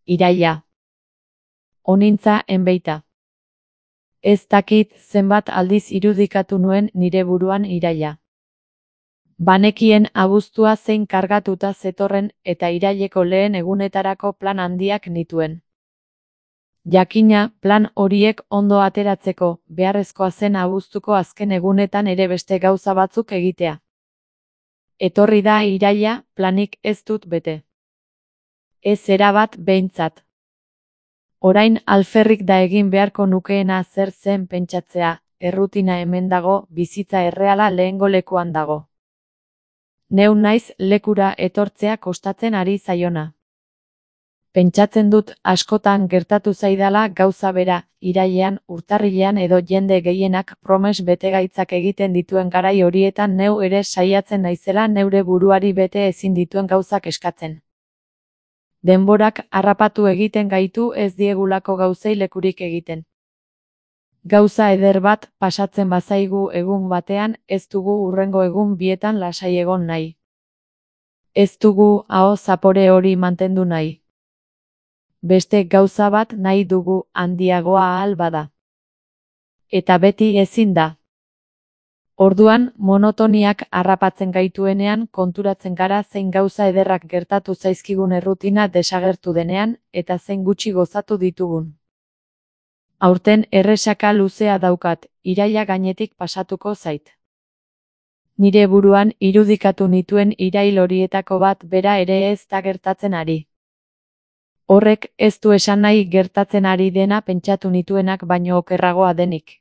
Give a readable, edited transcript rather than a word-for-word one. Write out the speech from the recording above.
Iraila. Onintza enbeita. Ez dakit zenbat aldiz irudikatu nuen nire buruan iraila. Banekien abuztua zein kargatuta zetorren eta iraileko lehen egunetarako plan handiak nituen. Jakina, plan horiek ondo ateratzeko, beharrezkoa zen abuztuko azken egunetan ere beste gauza batzuk egitea. Etorri da iraila, planik ez dut bete. Ez erabat behintzat. Orain alferrik da egin beharko nukeena zer zen pentsatzea, errutina hemen dago, bizitza erreala lehengo lekuan dago. Neu naiz lekura etortzea kostatzen ari zaiona. Pentsatzen dut askotan gertatu zaidala gauza bera, irailean, urtarrilean edo jende gehienak promes betegaitzak egiten dituen garai horietan neu ere saiatzen naizela neure buruari bete ezin dituen gauzak eskatzen. Denborak harrapatu egiten gaitu ez diegulako gauzei lekurik egiten. Gauza eder bat pasatzen bazaigu egun batean, ez dugu hurrengo egun bietan lasai egon nahi. Ez dugu aho zapore hori mantendu nahi. Beste gauza bat nahi dugu handiagoa ahal bada. Eta beti ezin da. Orduan, monotoniak harrapatzen gaituenean konturatzen gara zein gauza ederrak gertatu zaizkigun errutina desagertu denean, eta zein gutxi gozatu ditugun. Aurten erresaka luzea daukat, iraila gainetik pasatuko zait. Nire buruan irudikatu nituen irail horietako bat bera ere ez da gertatzen ari. Horrek ez du esan nahi gertatzen ari dena pentsatu nituenak baino okerragoa denik.